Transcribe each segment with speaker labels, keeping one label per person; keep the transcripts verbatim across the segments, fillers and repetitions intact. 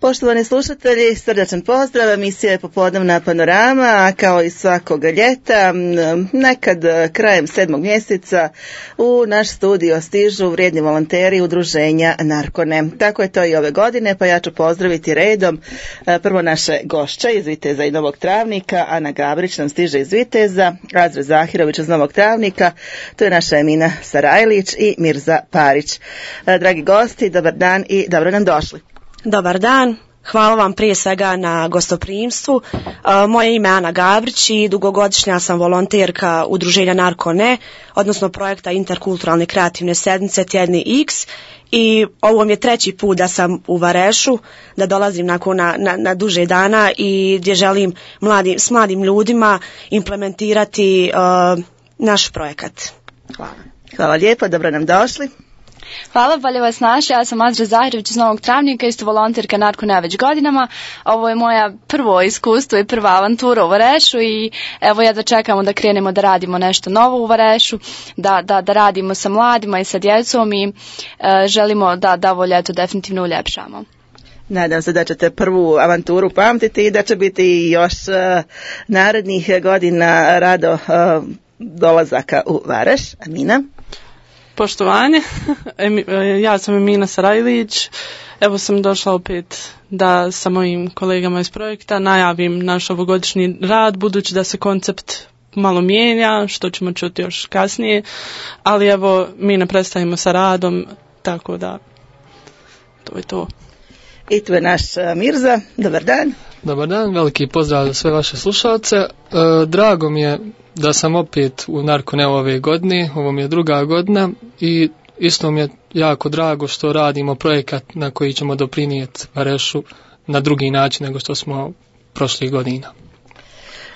Speaker 1: Poštovani slušatelji, srdačan pozdrav, emisija je Popodnevna panorama, a kao i svakog ljeta, nekad krajem sedmog mjeseca u naš studio stižu vrijedni volonteri udruženja Narkone. Tako je to i ove godine, pa ja ću pozdraviti redom prvo naše gošće iz Viteza i Novog Travnika. Ana Gabrić nam stiže iz Viteza, Azra Zahirović iz Novog Travnika, to je naša Emina Sarajlić i Mirza Parić. Dragi gosti, dobar dan i dobro nam došli.
Speaker 2: Dobar dan, hvala vam prije svega na gostoprimstvu. Moje ime je Ana Gabrić i dugogodišnja sam volonterka udruženja Narkone, odnosno projekta Interkulturalne kreativne sedmice Tjedni X. I ovo mi je treći put da sam u Varešu, da dolazim nakon na, na, na duže dana i gdje želim mladim, s mladim ljudima implementirati uh, naš projekat. Hvala.
Speaker 1: Hvala lijepo, dobro nam došli.
Speaker 3: Hvala, bolje vas našli. Ja sam Azra Zahirović iz Novog Travnika, isto volonterka Narkone već godinama. Ovo je moja prvo iskustvo i prva avantura u Varešu i evo jedva čekamo da krenemo da radimo nešto novo u Varešu, da, da, da radimo sa mladima i sa djecom i e, želimo da, da ovo ljeto definitivno uljepšamo.
Speaker 1: Nadam se da ćete prvu avanturu pamtiti i da će biti još uh, narednih godina rado uh, dolazaka u Vareš. Amina?
Speaker 4: Poštovanje, ja sam Emina Sarajlić, evo sam došla opet da sa mojim kolegama iz projekta najavim naš ovogodišnji rad, budući da se koncept malo mijenja, što ćemo čuti još kasnije, ali evo mi ne prestajemo sa radom, tako da to je to.
Speaker 1: I tu je naš Mirza, dobar dan.
Speaker 5: Dobar dan, veliki pozdrav za sve vaše slušalce. E, drago mi je da sam opet u Narkone ove godine, ovo mi je druga godina i isto mi je jako drago što radimo projekat na koji ćemo doprinijeti Varešu na drugi način nego što smo prošlih godina.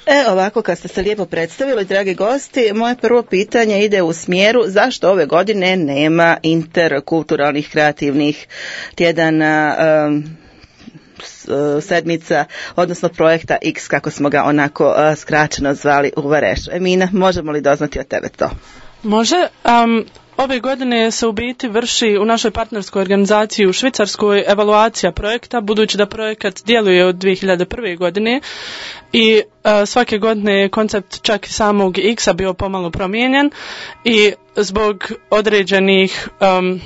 Speaker 1: E, ovako kad ste se lijepo predstavili, dragi gosti, moje prvo pitanje ide u smjeru zašto ove godine nema interkulturalnih kreativnih tjedana, um, sedmica, odnosno projekta X, kako smo ga onako uh, skraćeno zvali u Varešu. Emina, možemo li doznati od tebe to?
Speaker 4: Može. Um, ove godine se u biti vrši u našoj partnerskoj organizaciji u Švicarskoj evaluacija projekta, budući da projekat djeluje od dvije hiljade prve. godine i uh, svake godine je koncept čak i samog X-a bio pomalo promijenjen i zbog određenih um,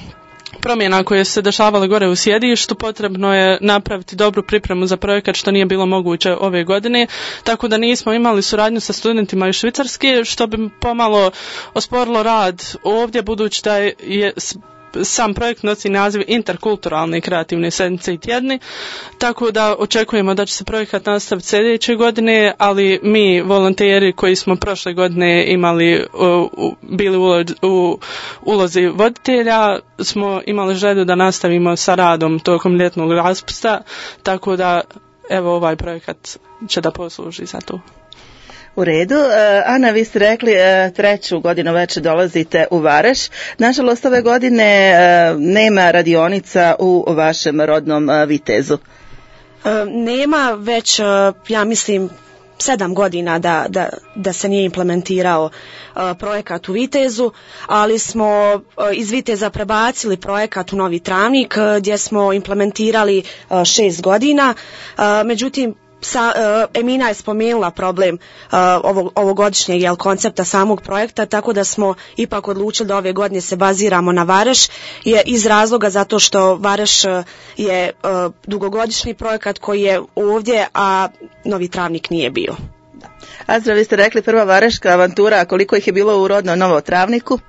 Speaker 4: promjena koje su se dešavale gore u sjedištu, potrebno je napraviti dobru pripremu za projekat, što nije bilo moguće ove godine, tako da nismo imali suradnju sa studentima iz Švicarske, što bi pomalo osporilo rad ovdje, budući da je sam projekt nosi naziv Interkulturalne kreativne sedmice i tjedni, tako da očekujemo da će se projekat nastaviti sljedeće godine, ali mi volonteri koji smo prošle godine imali u, bili u, u ulozi voditelja, smo imali želju da nastavimo sa radom tokom ljetnog raspusta, tako da evo ovaj projekat će da posluži za to.
Speaker 1: U redu. Ana, vi ste rekli treću godinu već dolazite u Vareš. Nažalost, ove godine nema radionica u vašem rodnom Vitezu.
Speaker 2: Nema već, ja mislim, sedam godina da, da, da se nije implementirao uh, projekat u Vitezu, ali smo uh, iz Viteza prebacili projekat u Novi Travnik uh, gdje smo implementirali uh, šest godina. Uh, međutim, Sa, uh, Emina je spomenula problem uh, ovog, ovogodišnjeg jel, koncepta samog projekta, tako da smo ipak odlučili da ove godine se baziramo na Vareš, je iz razloga zato što Vareš uh, je uh, dugogodišnji projekat koji je ovdje, a Novi Travnik nije bio.
Speaker 1: Azra, vi ste rekli prva vareška avantura, a koliko ih je bilo u rodnom Novom Travniku?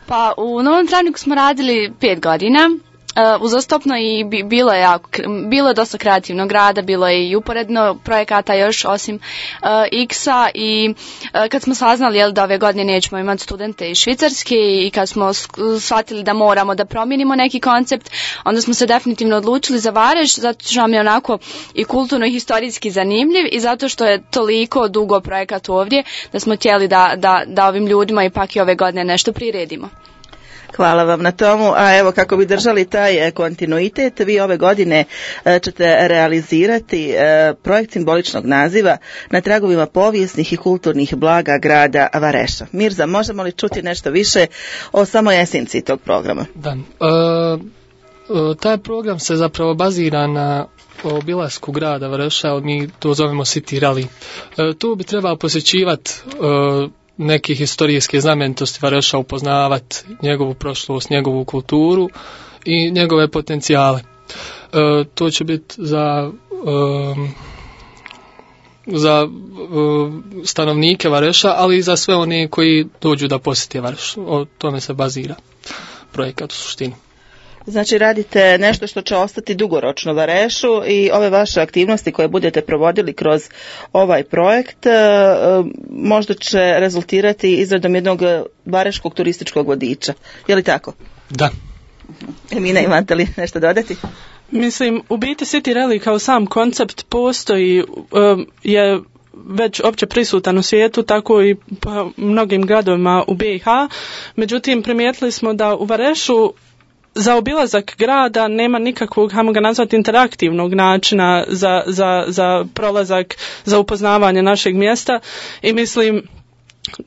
Speaker 3: Pa u Novom Travniku smo radili pet godina. Uh, uzastopno i bi, bilo je jako, bilo je dosta kreativnog rada, bilo je i uporedno projekata još osim uh, X-a i uh, kad smo saznali jel, da ove godine nećemo imati studente iz Švicarske i kad smo shvatili da moramo da promijenimo neki koncept, onda smo se definitivno odlučili za Vareš, zato što nam je onako i kulturno i historijski zanimljiv i zato što je toliko dugo projekat ovdje da smo htjeli da, da, da ovim ljudima ipak i ove godine nešto priredimo.
Speaker 1: Hvala vam na tomu, a evo kako bi držali taj kontinuitet, vi ove godine ćete realizirati projekt simboličnog naziva na tragovima povijesnih i kulturnih blaga grada Vareša. Mirza, možemo li čuti nešto više o samoj esenciji tog programa?
Speaker 5: Da, e, taj program se zapravo bazira na o obilasku grada Vareša, mi to zovemo City Rally. E, tu bi trebao posjećivati e, neke historijske znamenitosti Vareša, upoznavati njegovu prošlost, njegovu kulturu i njegove potencijale. E, to će biti za e, za e, stanovnike Vareša, ali i za sve one koji dođu da posjete Vareš. O tome se bazira projekat u suštini.
Speaker 1: Znači radite nešto što će ostati dugoročno Varešu i ove vaše aktivnosti koje budete provodili kroz ovaj projekt možda će rezultirati izradom jednog vareškog turističkog vodiča. Je li tako?
Speaker 5: Da.
Speaker 1: Emina, imate li nešto dodati?
Speaker 4: Mislim, u biti City Rally kao sam koncept postoji, um, je već opće prisutan u svijetu, tako i po mnogim gradovima u B i H. Međutim, primijetili smo da u Varešu za obilazak grada nema nikakvog, hajmo ga nazvati, interaktivnog načina za, za, za prolazak, za upoznavanje našeg mjesta i mislim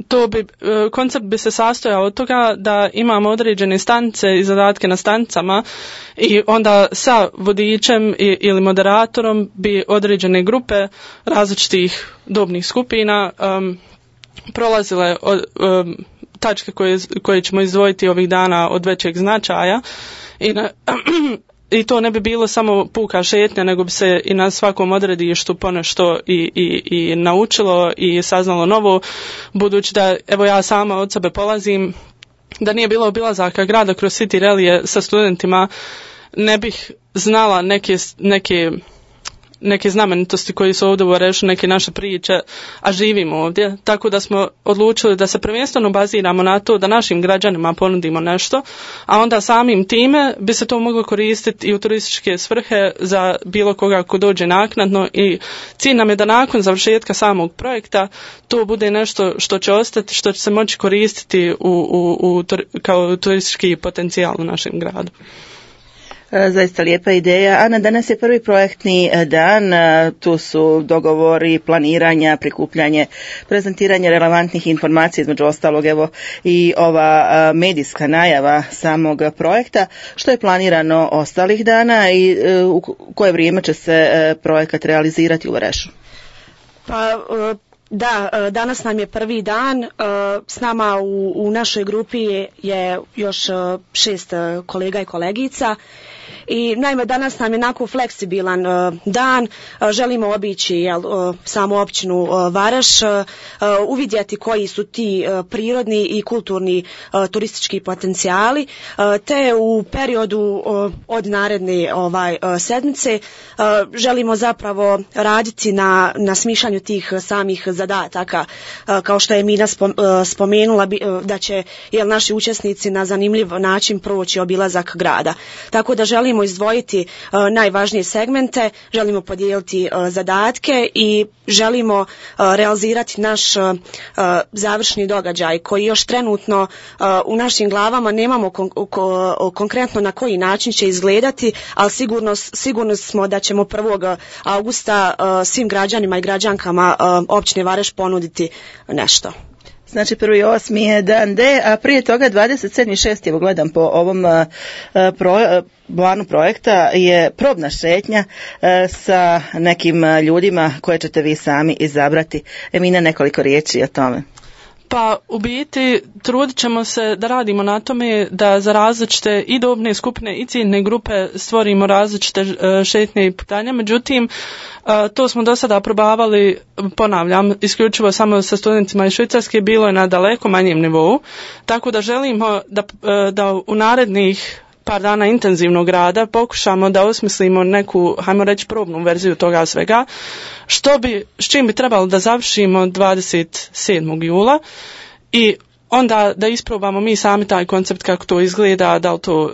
Speaker 4: to bi, koncept bi se sastojao od toga da imamo određene stanice i zadatke na stanicama i onda sa vodičem i, ili moderatorom bi određene grupe različitih dobnih skupina um, prolazile od, um, tačke koje, koje ćemo izdvojiti ovih dana od većeg značaja i, na, i to ne bi bilo samo puka šetnja, nego bi se i na svakom odredištu ponešto i, i, i naučilo i saznalo novo, budući da evo ja sama od sebe polazim, da nije bilo obilazaka grada kroz City Rally sa studentima, ne bih znala neke, neke neke znamenitosti koji su ovdje u Varešu, neke naše priče, a živimo ovdje. Tako da smo odlučili da se prvenstveno baziramo na to da našim građanima ponudimo nešto, a onda samim time bi se to moglo koristiti i u turističke svrhe za bilo koga ko dođe naknadno i cilj nam je da nakon završetka samog projekta to bude nešto što će ostati, što će se moći koristiti u, u, u, kao turistički potencijal u našem gradu.
Speaker 1: Zaista lijepa ideja. Ana, danas je prvi projektni dan, tu su dogovori, planiranja, prikupljanje, prezentiranje relevantnih informacija, između ostalog evo i ova medijska najava samog projekta. Što je planirano ostalih dana i u koje vrijeme će se projekat realizirati u Varešu?
Speaker 2: Pa da, danas nam je prvi dan, s nama u, u našoj grupi je još šest kolega i kolegica. I naime danas nam je onako fleksibilan uh, dan, uh, želimo obići jel, uh, samu općinu uh, Vareš, uh, uvidjeti koji su ti uh, prirodni i kulturni uh, turistički potencijali, uh, te u periodu uh, od naredne ovaj, uh, sedmice uh, želimo zapravo raditi na, na smišljanju tih samih zadataka, uh, kao što je Mina spom, uh, spomenula bi, uh, da će jel, naši učesnici na zanimljiv način proći obilazak grada. Tako da želimo izdvojiti uh, najvažnije segmente, želimo podijeliti uh, zadatke i želimo uh, realizirati naš uh, završni događaj koji još trenutno uh, u našim glavama nemamo kon- ko- konkretno na koji način će izgledati, ali sigurno, sigurno smo da ćemo prvog augusta uh, svim građanima i građankama uh, općine Vareš ponuditi nešto.
Speaker 1: Znači prvi osmi je dan D, a prije toga dvadeset sedmi šesti evo gledam po ovom uh, pro, uh, planu projekta je probna šetnja uh, sa nekim uh, ljudima koje ćete vi sami izabrati. Emina, nekoliko riječi o tome.
Speaker 4: Pa u biti trudit ćemo se da radimo na tome da za različite i dobne skupine i ciljne grupe stvorimo različite šetnje i putanja, međutim to smo do sada probavali, ponavljam, isključivo samo sa studentima iz Švicarske, bilo je na daleko manjem nivou, tako da želimo da, da u narednih par dana intenzivnog rada pokušamo da osmislimo neku, hajmo reći, probnu verziju toga svega, što bi, s čim bi trebalo da završimo dvadeset sedmog jula i onda da isprobamo mi sami taj koncept kako to izgleda, da li to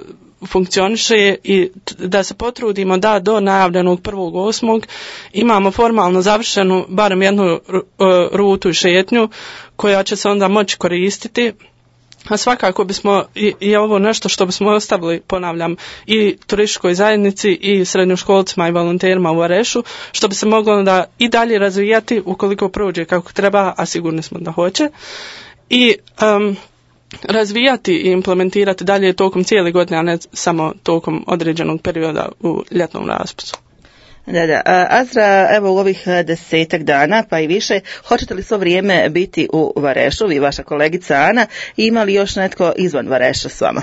Speaker 4: funkcioniše i da se potrudimo da do najavljenog prvog osmog imamo formalno završenu barem jednu rutu i šetnju koja će se onda moći koristiti. A svakako bismo i, i ovo nešto što bismo ostavili, ponavljam, i turističkoj zajednici i srednjoškolcima i volonterima u Varešu, što bi se moglo da i dalje razvijati ukoliko prođe kako treba, a sigurni smo da hoće. I um, razvijati i implementirati dalje tokom cijele godine, a ne samo tokom određenog perioda u ljetnom raspustu.
Speaker 1: Da, da. Azra, evo u ovih desetak dana, pa i više, hoćete li svo vrijeme biti u Varešu, vi vaša kolegica Ana, i ima li još netko izvan Vareša s vama?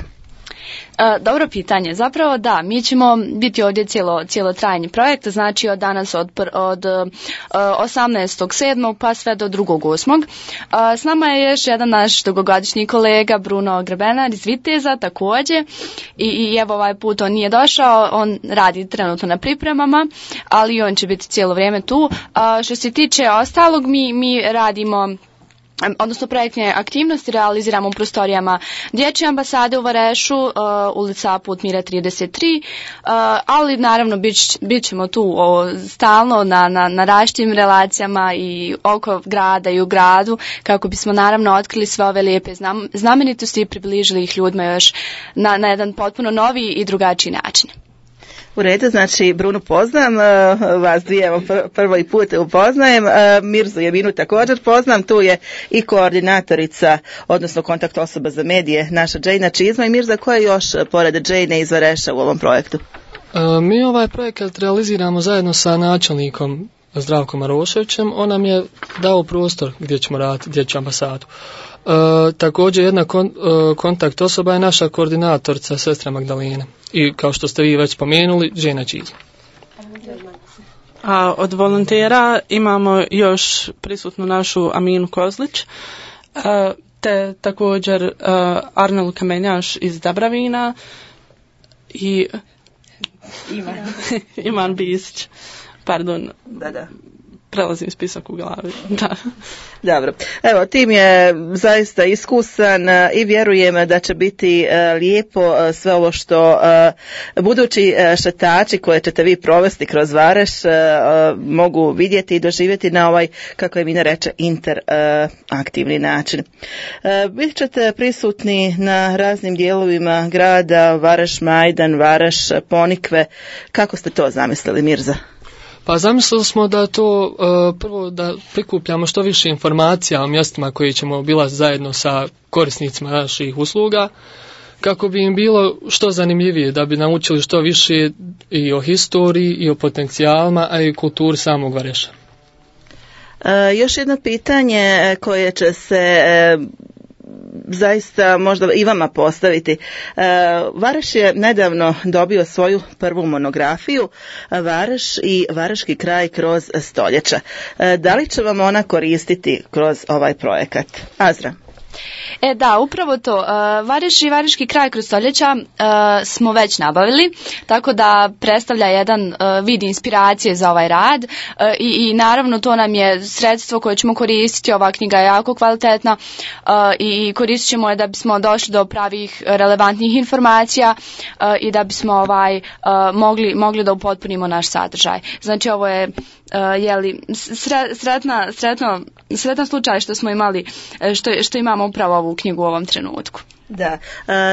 Speaker 3: E, dobro pitanje. Zapravo da, mi ćemo biti ovdje cijelo, cijelo trajni projekt, znači od danas od, od uh, osamnaestog sedmog pa sve do drugog osmog Uh, s nama je još jedan naš dugogodišnji kolega Bruno Grebenar iz Viteza također i, i evo ovaj put on nije došao, on radi trenutno na pripremama, ali on će biti cijelo vrijeme tu. Uh, što se tiče ostalog, mi, mi radimo odnosno projektne aktivnosti realiziramo u prostorijama Dječje ambasade u Varešu, uh, ulica Put mira trideset tri, uh, ali naravno bit, bit ćemo tu o, stalno na, na, na različitim relacijama i oko grada i u gradu, kako bismo naravno otkrili sve ove lijepe znam, znamenitosti i približili ih ljudima još na, na jedan potpuno novi i drugačiji način.
Speaker 1: U redu, znači Brunu poznam, vas dvije evo prvo i put upoznajem, Mirzu Jeminu također poznam, tu je i koordinatorica, odnosno kontakt osoba za medije, naša Džejna Čizma. I Mirza, ko je još pored Džejne iz Vareša u ovom projektu?
Speaker 5: Mi ovaj projekat realiziramo zajedno sa načelnikom Zdravkom Maroševićem, on nam je dao prostor gdje ćemo raditi Dječju ambasadu. E, također jedna kon, e, kontakt osoba je naša koordinatorica sestra Magdalena i kao što ste vi već spomenuli, Džejna Čizma.
Speaker 4: A od volontera imamo još prisutnu našu Aminu Kozlić, e, te također e, Arnel Kamenjaš iz Dabravina i Iman, Iman Bisić. Pardon.
Speaker 1: Da, da.
Speaker 4: Prelazim spisak u glavi. Da.
Speaker 1: Dobro. Evo, tim je zaista iskusan i vjerujem da će biti lijepo sve ovo što budući šetači koje ćete vi provesti kroz Vareš mogu vidjeti i doživjeti na ovaj, kako je Mina reče, interaktivni način. Bit ćete prisutni na raznim dijelovima grada, Vareš, Majdan, Vareš, Ponikve. Kako ste to zamislili, Mirza?
Speaker 5: Pa zamislili smo da to uh, prvo da prikupljamo što više informacija o mjestima koje ćemo obilaziti zajedno sa korisnicima naših usluga, kako bi im bilo što zanimljivije, da bi naučili što više i o historiji i o potencijalima, a i kulturi samog Vareša.
Speaker 1: Uh, još jedno pitanje koje će se uh, zaista možda i vama postaviti. Vareš je nedavno dobio svoju prvu monografiju, Vareš i Vareški kraj kroz stoljeća. Da li će vam ona koristiti kroz ovaj projekat? Azra.
Speaker 3: E da, upravo to. Vareš i Vareški kraj kroz stoljeća smo već nabavili, tako da predstavlja jedan vid inspiracije za ovaj rad i, i naravno to nam je sredstvo koje ćemo koristiti. Ova knjiga je jako kvalitetna i koristit ćemo je da bismo došli do pravih relevantnih informacija i da bismo ovaj mogli, mogli da upotpunimo naš sadržaj. Znači ovo je Uh, jeli, sretna, sretno, sretan slučaj što smo imali, što, što imamo upravo ovu knjigu u ovom trenutku.
Speaker 1: Da,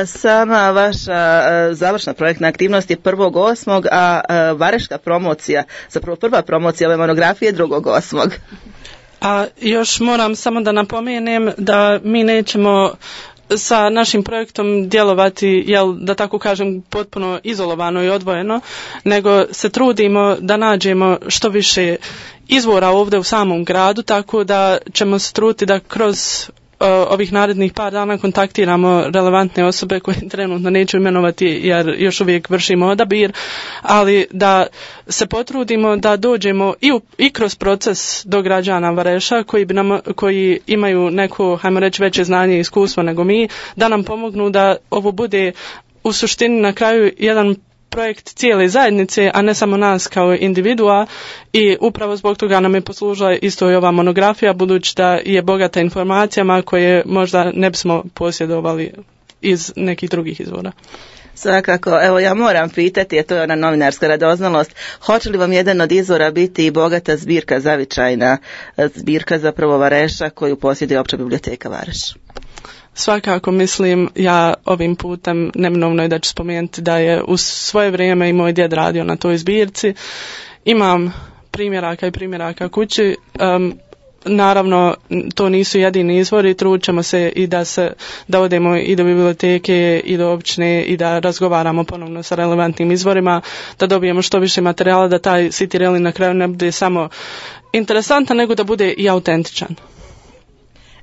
Speaker 1: sama vaša završna projektna aktivnost je prvog osmog, a vareška promocija, zapravo prva promocija ove monografije drugog osmog.
Speaker 4: A još moram samo da napomenem da mi nećemo sa našim projektom djelovati, jel, da tako kažem, potpuno izolovano i odvojeno, nego se trudimo da nađemo što više izvora ovdje u samom gradu, tako da ćemo se truditi da kroz uh, ovih narednih par dana kontaktiramo relevantne osobe koje trenutno neću imenovati jer još uvijek vršimo odabir, ali da se potrudimo da dođemo i, u, i kroz proces do građana Vareša koji, bi nam, koji imaju neko, hajmo reći, veće znanje i iskustvo nego mi, da nam pomognu da ovo bude u suštini na kraju jedan projekt cijele zajednice, a ne samo nas kao individua, i upravo zbog toga nam je poslužila isto i ova monografija, budući da je bogata informacijama koje možda ne bismo posjedovali iz nekih drugih izvora.
Speaker 1: Svakako, evo ja moram pitati, a to je ona novinarska radoznalost, hoće li vam jedan od izvora biti i bogata zbirka, zavičajna zbirka zapravo Vareša koju posjeduje Opća biblioteka Vareš?
Speaker 4: Svakako, mislim, ja ovim putem neminovno je da ću spomenuti da je u svoje vrijeme i moj djed radio na toj zbirci. Imam primjeraka i primjeraka kući. Um, naravno to nisu jedini izvori, trućemo se i da se da odemo i do biblioteke i do općine i da razgovaramo ponovno sa relevantnim izvorima, da dobijemo što više materijala, da taj City Rally na kraju ne bude samo interesantan, nego da bude i autentičan.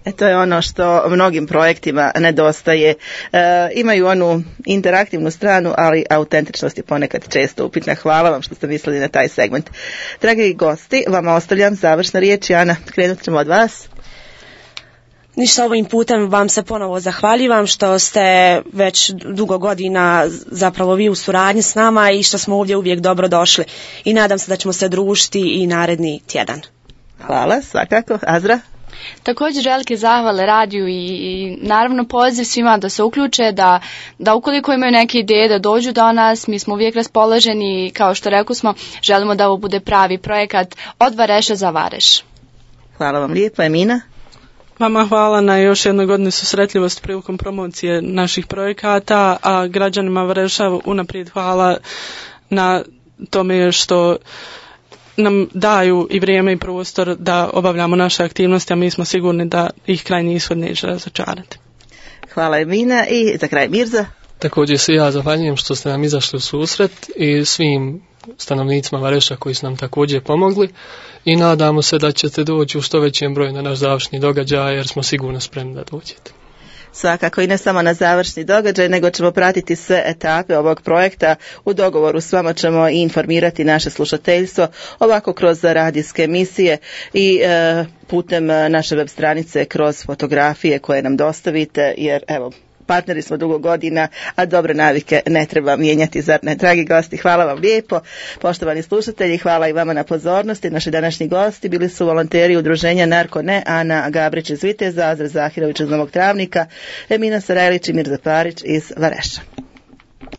Speaker 1: E, to je ono što mnogim projektima nedostaje. E, imaju onu interaktivnu stranu, ali autentičnost je ponekad često upitna. Hvala vam što ste mislili na taj segment. Dragi gosti, vama ostavljam završna riječ. Ana, krenut ćemo od vas.
Speaker 2: Ništa, ovim putem vam se ponovo zahvaljujem što ste već dugo godina zapravo vi u suradnji s nama i što smo ovdje uvijek dobro došli. I nadam se da ćemo se družiti i naredni tjedan.
Speaker 1: Hvala, svakako. Azra?
Speaker 3: Također velike zahvale radiju i, i naravno poziv svima da se uključe, da, da ukoliko imaju neke ideje da dođu do nas, mi smo uvijek raspoloženi i kao što rekli smo, želimo da ovo bude pravi projekat od Vareša za Vareš.
Speaker 1: Hvala vam lijepo. Emina?
Speaker 4: Vama hvala na još jednoj godini susretljivost prilikom promocije naših projekata, a građanima Vareša unaprijed hvala na tome što nam daju i vrijeme i prostor da obavljamo naše aktivnosti, a mi smo sigurni da ih krajnji ishod neće razočarati.
Speaker 1: Hvala Emina i za kraj Mirza.
Speaker 5: Također se ja zahvaljujem što ste nam izašli u susret i svim stanovnicima Vareša koji su nam također pomogli i nadamo se da ćete doći u što većem broju na naš završni događaj jer smo sigurno spremni da dođete.
Speaker 1: Svakako i ne samo na završni događaj, nego ćemo pratiti sve etape ovog projekta. U dogovoru s vama ćemo i informirati naše slušateljstvo ovako kroz radijske emisije i e, putem naše web stranice kroz fotografije koje nam dostavite, jer evo, partneri smo dugo godina, a dobre navike ne treba mijenjati, zar ne? Dragi gosti, hvala vam lijepo. Poštovani slušatelji, hvala i vama na pozornosti. Naši današnji gosti bili su volonteri udruženja Narko Ne, Ana Gabrić iz Viteza, Azra Zahirović iz Novog Travnika, Emina Sarajlić i Mirza Parić iz Vareša.